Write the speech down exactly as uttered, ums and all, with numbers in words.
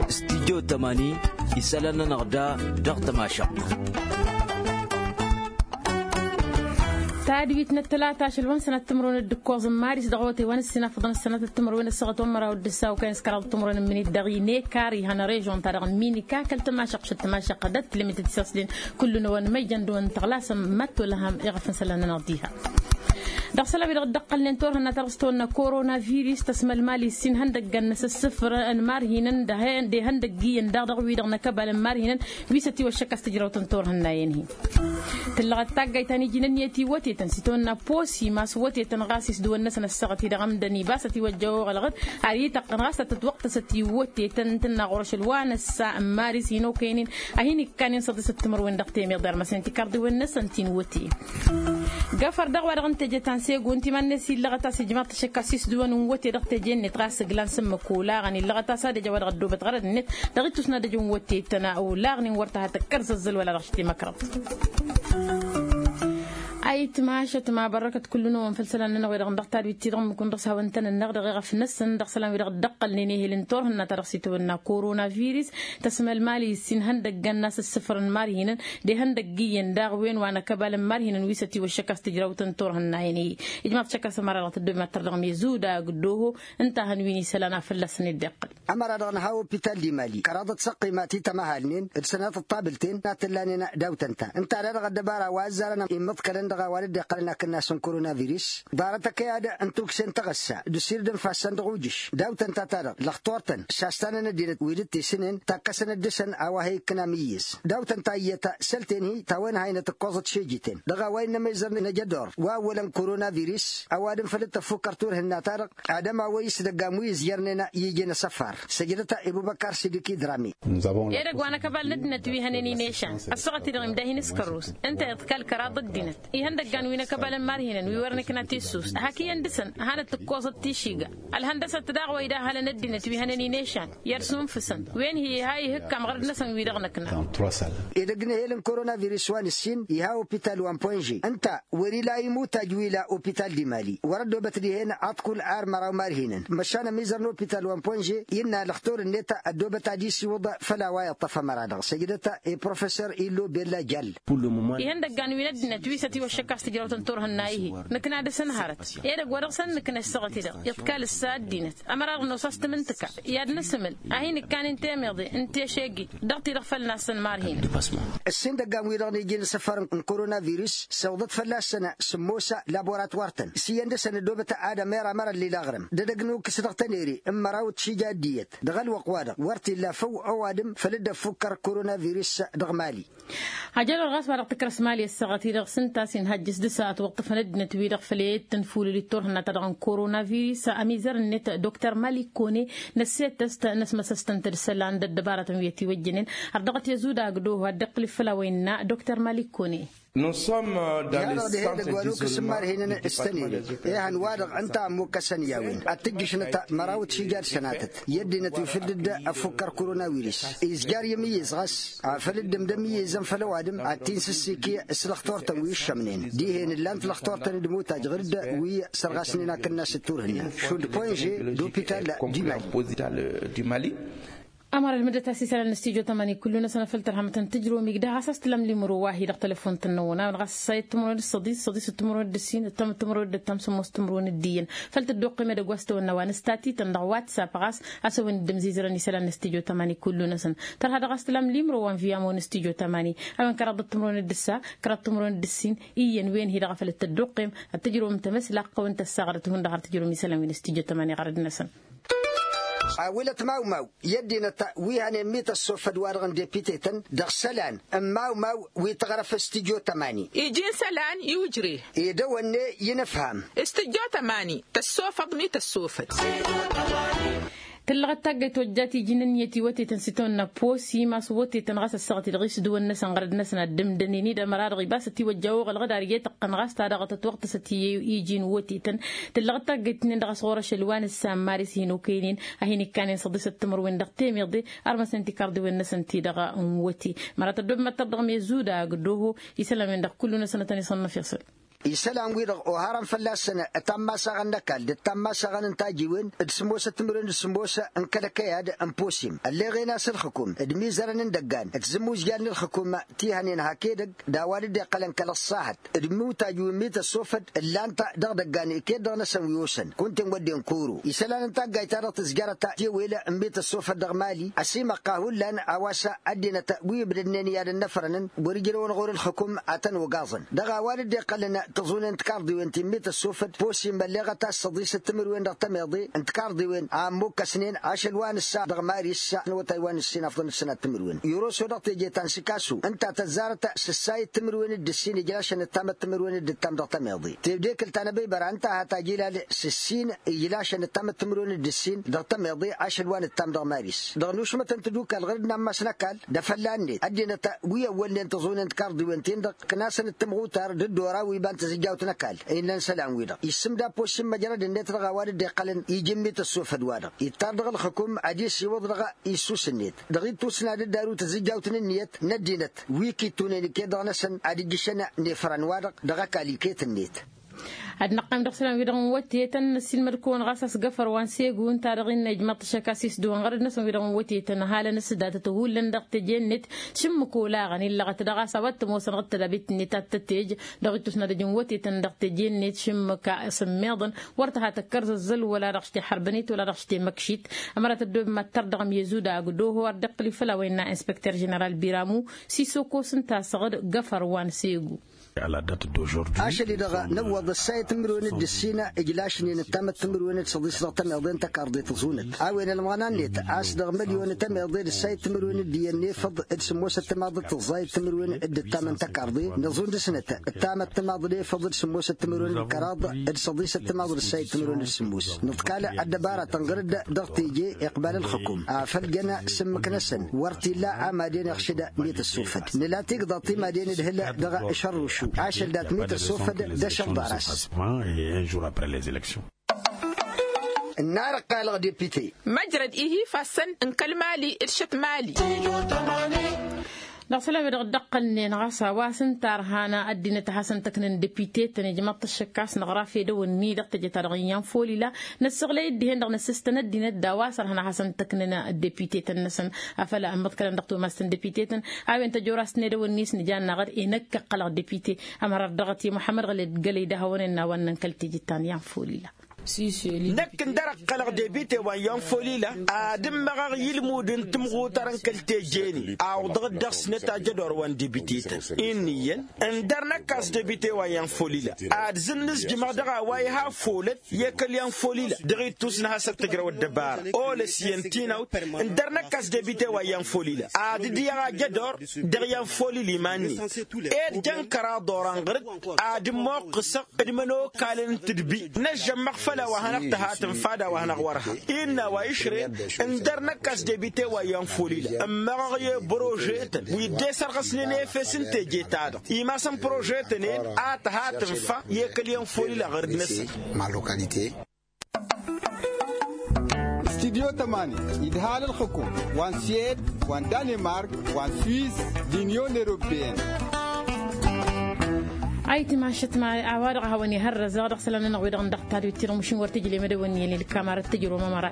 Studyo tămani isălan-nănăɣ da dăɣ-tămašăɣt. Tadwit n-ăttălata ašăl wa n-sănat timǝrwen d-ǝkkoẓ n-maris dăɣ-ote wa n-ǝssin afăḍăn ăssanat timǝrwen ăssaɣăt wa n-măraw d-ǝssaw kăyăn s-kăraḍ timǝrwen n-minit dăɣ-inekar ihăn režon-ta-dăɣ n-minika kăl-tămašăɣt šăt tămašăɣt d-ătlămet d-isăsden. Kullu-năwăn măjjăn dăɣ-wăn tăɣlasăm mad-tolăhăm iɣăf n-isălan-nănăɣ diha. Dăɣ-isălan-wi-dăɣ dd-ăqqălnen turhǝnna ta dăɣ-s tăwănna korona virus tăsmălmal issin ihăndăggan n-asǝssǝfrăn n-imarhinăn d-ihăndăgg iyyăn daɣ dăɣ-wi-dăɣ n-akăbal n-imarhinăn wi s-ătiwăššăk a-s tǝjrawt n-turhǝnna-en-hi. Tǝllăɣăt taggayt ta n-iji n-ǝnniyăt i-wătetăn s-itawănna posi mas wătetăn ɣas isdǝwăn-năsăn ăssaɣăt-i-dăɣ ămdăn iba s-ătiwăjja oɣălɣăt ar ităqqăn ɣas tătwăqtăsăt i-wătetăn tǝnna ɣur-ašăl wa n-ăssa n-maris hin-okăyăn-in a hin-ikkanen săḍisăt timǝrwen dăɣ-temeḍe armăsnen tikarḍiwen-năsăn ti n-wăte. Gafăr dăɣ-wa-dăɣ n-teje ta n-segun timan-net illăɣăt a-s ijmaḍ-t ašăk a-s isdǝwăn n-wăte dăɣ-teje-net ɣas ǝglan s-ǝmmǝk olaɣăn illăɣăt a-s ad-ăj a-wa dăɣ-ăddoobăt ɣărăd-net dăɣ-ittus n-ad-ăj n-wăte-tăn olaɣnen wăr ta hat-ăkkăr zăzzăl wăla dăɣ-ašăt i-măkrăḍ. Ayǝtmašăt ma bărrăkăt kullu-năwăn făll-isălan-nănăɣ wi-dăɣ n-dăɣ-tadwit-ti-dăɣ ǝmmǝk-wăn dăɣ-s hawăn-tăn-ănneɣ dăɣ-eɣăf-năsăn dăɣ-isălan wi-dăɣ dd-ăqqălnen ehel n-turhǝnna ta dăɣ-s itawănna korona virus tăsmălmal issin ihăndăggan n-asǝssǝfrăn imarhinăn d-ihăndăgg iyyăn daɣ wen wa n-akăbal n-imarhinăn wi s-ătiwăššăk a-s tǝjrawt n-turhǝnna-en-i. Ijmaḍ šăkk a-s ămăra dăɣ-tăddob mad-tărdăɣ mezuda gdăho ǝnta a hăn wi n-isălan a fălla-săn dd-iqqăl. Ămăra-dăɣ n-ha opital d-imali kăraḍăt s-ăqqima ti tămăhalnen d-sănatăt tabǝlten a t-ǝllanen daw-tăn-ta ǝnta ad-dăɣ ăddăbara wa ăzzarăn immǝḍkălăn dăɣ-a-wa dd-iqqălăn akǝnnas n-korona virus. Ḍarăt ăkăy ad-ǝntuksen taɣăssa d-usirǝd n-ifassăn dăɣ-ujǝš daw-tăn-ta-ta-dăɣ lăxtor-tăn s-astanăn ăddinăt wi dd-tisǝnen takkăsăn dd-dăr-săn a-wa he-ikkǝn amǝyyǝz. Daw-tăn ta iyyăt săl-ten-hi ta-wen haynăt ǝkkoẓăt šejiten dăɣ-a-wa innă amizăr n-ajădor wa ăwwălăn korona virus ăwadǝm făll-dd-tăffukkăr turhǝnna-ta-dăɣ. Ad-ămawăy s-dăgg-amuyǝz jărnen a iji n-asăfar săjdăt-a ibubăkkar sidiki drami. Edăgg wa n-akăbal n-ăddinăt wi hănen inešan ăssaɣăt-i-dăɣ imda hin-s kărrus ǝnta iḍkal kăraḍ ăddinăt ihăndăggan wi n-akăbal n-imarhinăn wi wăr nǝkna tissust hak iyyăn dăɣ-săn hanăt-tǝkkoẓăt tišiga. Ălhăndăsăt daɣ wa idahălăn ăddinăt wi hănen inešan i-ad-sunfǝsăn wen hi-iha ihǝkkam ɣărăd-năsăn wi-dăɣ năkna. Edăgg n-ehel n-korona virus wa n-ǝssin iha opital wa n-ponže ǝnta wăr-ila imutaj wi ila opital d-imali wăr-ăddoobăt dihen aḍkul ar măraw marhinăn măšan ămizăr n-opital wa n-ponže innă lăxtur-net ăddoobăt ad-isiwǝḍ făll-a-wa iṭṭăf ămăra-dăɣ săjdăt i-professor illo bella jall. Ihăndăggan wi n-ăddinăt wi s-ătiwăššăk a-s tǝjrăwt n-turhǝnna-ihi nǝkna dăɣ-săn hărăt edăgg wa dăɣ-săn nǝkna ăssaɣăt-i-dăɣ iḍkal ǝssa ăddinăt ămăra-dăɣ nos a-s tǝmǝntǝka i-ad-nǝsǝmǝl a hin-ǝkkanen temeḍe n-teše-gi dăɣ-ti-dăɣ făll-nassăn marhinăn. Ǝssin dăgg-an-wi-dăɣ n-iji n-asăfar n-korona virus săwḍăt fălla-săn sǝmmos laboratwar-tăn s-iyyăn dăɣ-săn ăddoobăt ad-ămera mărăllil aɣrǝm d-edăgg n-ukǝs dăɣ-tănere n-măraw d-tišija d-iyyăt dăɣ-ălwăqq-wa-dăɣ wăr t-illa făw ăwadǝm făll-dd-ăffukkăr korona virus dăɣ-mali. Hajălor ɣas wa dăɣ-tǝkrăs mali ăssaɣăt-i-dăɣ s-ǝnta a-s inhăjj s-dăɣ-s a ătwăṭṭăfăn ăddinăt-wi-dăɣ făll-e-dd tănfulǝl d-turhǝnna-ta-dăɣ n-korona virus ămizăr-net dr malik kone năssetăst năsmăsăstăn-t d-isălan d-ăddăbaratăn wi ătiwăjjănen. Ărdăɣăt i-ăzudag d-oho ad-dd-iqqǝl-dd făll-a-wa innă dr malik kone. Iha-dăɣ dihen edăgg wa n-ukǝs n-imarhinăn s-tănere ihăn-wa-dăɣ ǝnta a ămmukkăsăn i-a-wen ad-tǝjjǝšnăt măraw d-šija d-sănatăt i-ăddinăt wi făll-dd-ăffukkăr korona virus izjar i-amǝyyǝz ɣas afăl dd-ǝmdăm iyyăzăn făll-ăwadǝm ad-t-insǝssiki s-lăxtor-tăn wi ǝššămnen dihen ǝllan-t lăxtor-tăn d-imutaj ɣǝr-dd wi sărɣasnen akǝnnas d-turhǝnna šund ponže d-opital d-imali. Ămăra ălmǝddăt a-s isălan n-studyo tămani kullu-năsăn afăl tărhămăt n-tǝjromig dăɣ-a-s tǝlăm limro wa hi-dăɣ tălăfont-năwăn a-wen ɣas ăssayăt timǝrwen d-săḍis săḍisăt timǝrwen d-ǝssin ăttămăt timǝrwen d-ăttam sămmos timǝrwen d-iyyăn. Făl tăddoqqem edăgg wa s-tăwănna wa n-ǝstat-ităn dăɣ-whatsapp ɣas a-s a-wen dd-ămzizărăn isălan n-studyo tămani kullu-năsăn. Tărha dăɣ-a-s tǝlăm limro wa n-viyamo n-studyo tămani a-wen kăraḍăt timǝrwen d-ǝssa kăraḍăt timǝrwen d-ǝssin iyyăn wen hi-dăɣ a făl dd-tăddoqqem ad-tǝjromem tamăslaqq a-wen tăssaɣrăt hundăɣ har tǝjromem isălan wi n-studyo tămani ɣărăd-năsăn. Awǝlăt mawmaw i-ăddinăt wi hănen mi tăssofăd-wa-dăɣ n-depitetăn dăɣ-isălan n-mawmaw wi tăɣrăf s-tǝjjo tămani. Iji n-isălan i-ujre. Edăwănne i-inǝfham. S-tǝjjo tămani tăssofăḍ mi tăssofăd. Tǝllăɣăt taggăyt tojjat iji n-ǝnniyăt iwătetăn s-itawănna posi mas wătetăn ɣas ăssaɣăt-i-dăɣ isǝdǝwăn-năsăn ɣărăd-năsăn ad-dd-ǝmdănen-dd ămăra-dăɣ ibas ătiwăjja oɣălɣăd ar iyyăt ǝqqăn ɣas ta dăɣ-tătwăɣtăsăt i-iji n-wătetăn. Tǝllăɣăt taggăyt-nin-dăɣ a-s ɣur-ašăl wa n-ǝssa n-maris hin-okăynen a hin-ikkanen săḍisăt timǝrwen dăɣ-temeḍe armăsnen tikarḍiwen-năsăn ti-dăɣ n-wăte. Măra tăddob măttăr dăɣ-mezu dagg d-oho isălan-wen-dăɣ kullu-năsăn ad-tăn-iṣănnăf iṣăl. Isălan-wi-dăɣ oharăn fălla-săn tammasaɣăn n-ăkall d-tammasaɣăn n-tajiwen d-sǝmmosăt timǝrwen d-sǝmmos n-kăl-ăkăyad n-posim ălleɣen a-s ǝlxǝkum d-imizărăn n-idăggan d-tizǝmmuzjal n-ǝlxǝkum ti hănen hak edăgg d-a-wa dd-iqqălăn kăl-ăṣṣahăt d-imǝwtaj wi n-mităssofăd ǝllan-t dăɣ-idăggan iket-dăɣ-năsăn wi osăn kunta-en wădden koro. Isălan n-taggayt-ta-dăɣ tǝzjărăt tewel n-mităssofăd dăɣ-mali ăsimăqqa hullan a-wa s-ăddinăt wi ǝbdădnen i-ad-ănnăfrănăn wăr-ijrăwăn ɣur-ǝlxǝkum ad-tăn-ogaẓăn dăɣ-a-wa dd-iqqălăn tiẓunen tikarḍiwen ti n-mităssofăd posim ălleɣăt a-s săḍisăt timǝrwen dăɣ-tămeḍe n-tikarḍiwen a ămmukkăsnen ašăl wa nǝssa dăɣ-maris n-awătay wa nǝssin afḍăn d-sănat timǝrwen iroso dăɣ-teje ta n-sikasu ǝnta tăzzarăt s-ǝssayăt timǝrwen d-ǝssin ijlašăn ǝttamăt timǝrwen d-ǝttam dăɣ-tămeḍe tebdekǝlt ta n-ăbăybăra ǝnta a hat-ajilal s-ǝssin ijlašăn ǝttamăt timǝrwen d-ǝssin dăɣ-tămeḍe ašăl wa nǝttam dăɣ-maris dăɣ-nušmătăn tadukal ɣǝr-dd n-ammas n-ăkall d-afălla-net ăddinăt wi ăwwălnen tiẓunen tikarḍiwen-ten-dăɣ ǝknasăn d-timɣutar d-ăddora wi iba n-tizǝjjawt n-ăkall. Innă n-isălan-wi-dăɣ issǝmda posim măjrăd-net dăɣ-a-wa dd-iqqălăn iji n-mităssofăd-wa-dăɣ ittar dăɣ-ǝlxǝkum ad-isiwǝḍ dăɣ-issus-net dăɣ-ittus n-ad-dd-aru tizǝjjawt n-ǝnniyăt n-ăddinăt wi kittunen iket-dăɣ-năsăn ad-ǝjjǝšăn n-efran-wa-dăɣ dăɣ-ăkall iket-net. Ad-năqqim dăɣ-isălan-wi-dăɣ n-wătetăn năssiilmăd-kăwăn ɣas a-s găfăr wa n-segu ǝnta-dăɣ innă ijmăḍ-t ašăk a-s isdǝwăn ɣărăd-năsăn wi-dăɣ n-wătetăn halăn s-datăt hullan dăɣ-teje-net šǝmmǝk olaɣăn illăɣăt dăɣ-a-s a-wa t-ămoosăn ɣǝd tădabit-net ad-tătej dăɣ-ittus n-ad-ăj n-wătetăn dăɣ-teje-net šǝmmǝk a s-ămmiḍăn wăr tăha tăkkărzăzzăl wăla dăɣ-s te-hărbănit wăla dăɣ-s te-măkšit. Ămăra tăddob mad-tărdăɣăm i-ăzudag d-oho ar dd-iqqǝl i-făll-a-wa innă inspecter ženeral biramu s-isokos ǝnta a-s ɣǝd găfăr wa n-segu. Ašăl-i-dăɣ năwwăḍ ǝssa i-timǝrwen d-ǝssin ijlašnen ǝttamăt timǝrwen d-săḍis dăɣ-tămeḍe n-tăkarḍe tǝẓunăt a-wen ălmăɣna-net a-s dăɣ-mălyon tămeḍe d-ǝssa i-timǝrwen d-iyyăn n-efăḍ d-sǝmmosăt timaḍ d-tǝẓẓay timǝrwen d-ǝttam n-tăkarḍe nǝẓun dăɣ-snăt ǝttamăt timaḍ d-efăḍ d-sǝmmosăt timǝrwen d-kăraḍ d-săḍisăt timaḍ d-ǝssa i-timǝrwen d-sǝmmos nǝḍkal ăddăbaratăn ɣǝr-dd dăɣ-teje iqbal ǝlxǝkum afăl jăn s-ǝmmǝk-năsăn wăr t-illa amaden iɣšǝd mităssofăd nǝla tigḍaḍ timaden d-hǝl dăɣ-ašărrušu ašăl dat mităssofăd d-ašăl ḍaras. Ǝnnar ăqqalăɣ depite. Măjrăd ihi ifassăn n-kăl-mali d-šăt mali. Dăɣ-isălan-wi-dăɣ dd-ăqqălnen ɣas a-wa s-ǝnta ărhan ăddinăt a hasăn-tăknăn depite-tăn ijmăḍ-t ăššăk a-s năɣraf edăw-ni dăɣ-teje-ta-dăɣ n-iyyăn folila năssăɣlăy dd-hen-dăɣ năssǝstăn ăddinăt d-a-wa s-ărhan a hasăn-tăknăn depite-tăn-năsăn. Afăl ămmăḍkălăn dăɣ-tomast n-depite-tăn a-wen tăjorasăn edăw-ni s-nǝjannaɣ d-enăkk ăqqălăɣ depite. Ămăra ărdăɣăt i-muḥămmăd ɣăled gălăy d-ahăwăn ănnawăn n-kăl-teje ta n-iyyăn folila. Năkk ǝndăr ăqqălăɣ debite wa n-iyyăn folila ad-ǝmmăɣăɣ i-ǝlmud n-timɣutar n-kăl-teje-ni awǝḍăɣ-dd dăɣ-snăt ajădor wa n-debite-tăn. Inn'-iyyăn ǝndăr năkk a-s debite wa n-iyyăn folila ad-zǝnnǝzjǝmăɣ dăɣ-a-wa iha folăt i-kăl-iyyăn folila dăɣ-ittus n-hasăt tǝjrăw ăddăbara olăs iyyăn tinawt. Ǝndăr năkk a-s debite wa n-iyyăn folila ad-dd-iyyăɣ ajădor dăɣ-iyyăn folila iman-net. Ed jăn kăraḍ oran ɣăr-dd ad-ǝmmoqqǝsăɣ d-imănokalăn n-tǝdbi năžžămmăɣ făll-a-wa hanăɣ-tăhatǝnfa d-a-wa hanăɣ-wăr-ha. Innă a-wa išrăyăn ǝndăr năkk a-s debite wa iyyăn folila ǝmmăɣăɣ i-prožetăn wi dd-esărɣăsnen efes n-teje-ta-dăɣ imasăn prožetăn-en a tăhatǝnfa i-kăl-iyyăn folila ɣăr-dd-năsăn. Studyo tămani idhal ǝlxǝkum wa n-suwed wa n-danemark wa n-suwis d-inyon europeyăn. Ayǝtmašăt ma a-wa-dăɣ a hawăn-ihărrăzăɣ dăɣ-isălan-nănăɣ wi-dăɣ n-dăɣ-tadwit-ti-dăɣ mušin wăr tǝjlem edăwănni i-ălilkam arăt tǝjrǝwăm ămăra.